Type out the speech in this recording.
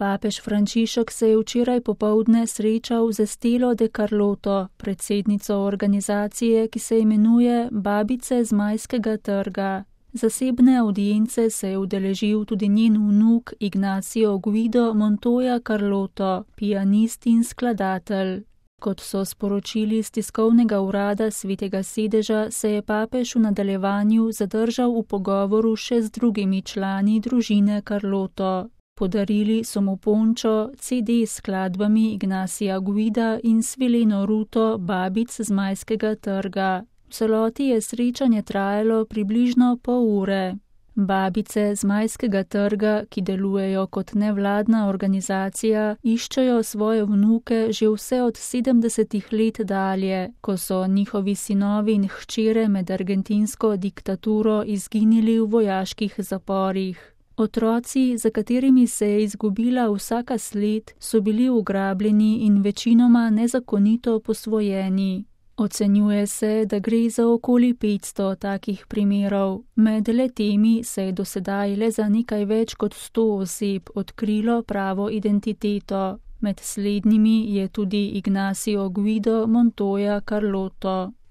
Papež Frančišek se je včeraj popoldne srečal z Estelo de Carlotto, predsednico organizacije, ki se imenuje Babice Zmajskega trga. Zasebne avdience se je udeležil tudi njen vnuk Ignacio Guido Montoya Carlotto, pianist in skladatelj. Kot so sporočili iz tiskovnega urada Svetega sedeža, se je papež v nadaljevanju zadržal v pogovoru še z drugimi člani družine Carlotto. Podarili so mu pončo, CD s skladbami Ignacia Guida in svileno ruto Babic Zmajskega trga. V celoti je srečanje trajalo približno pol ure. Babice Zmajskega trga, ki delujejo kot nevladna organizacija, iščejo svoje vnuke že vse od 70 let dalje, ko so njihovi sinovi in hčere med argentinsko diktaturo izginili v vojaških zaporih. Otroci, za katerimi se je izgubila vsaka sled, so bili ugrabljeni in večinoma nezakonito posvojeni. Ocenjuje se, da gre za okoli 500 takih primerov. Med le-temi se je dosedaj le za nekaj več kot 100 oseb odkrilo pravo identiteto. Med slednjimi je tudi Ignacio Guido Montoya Carlotto.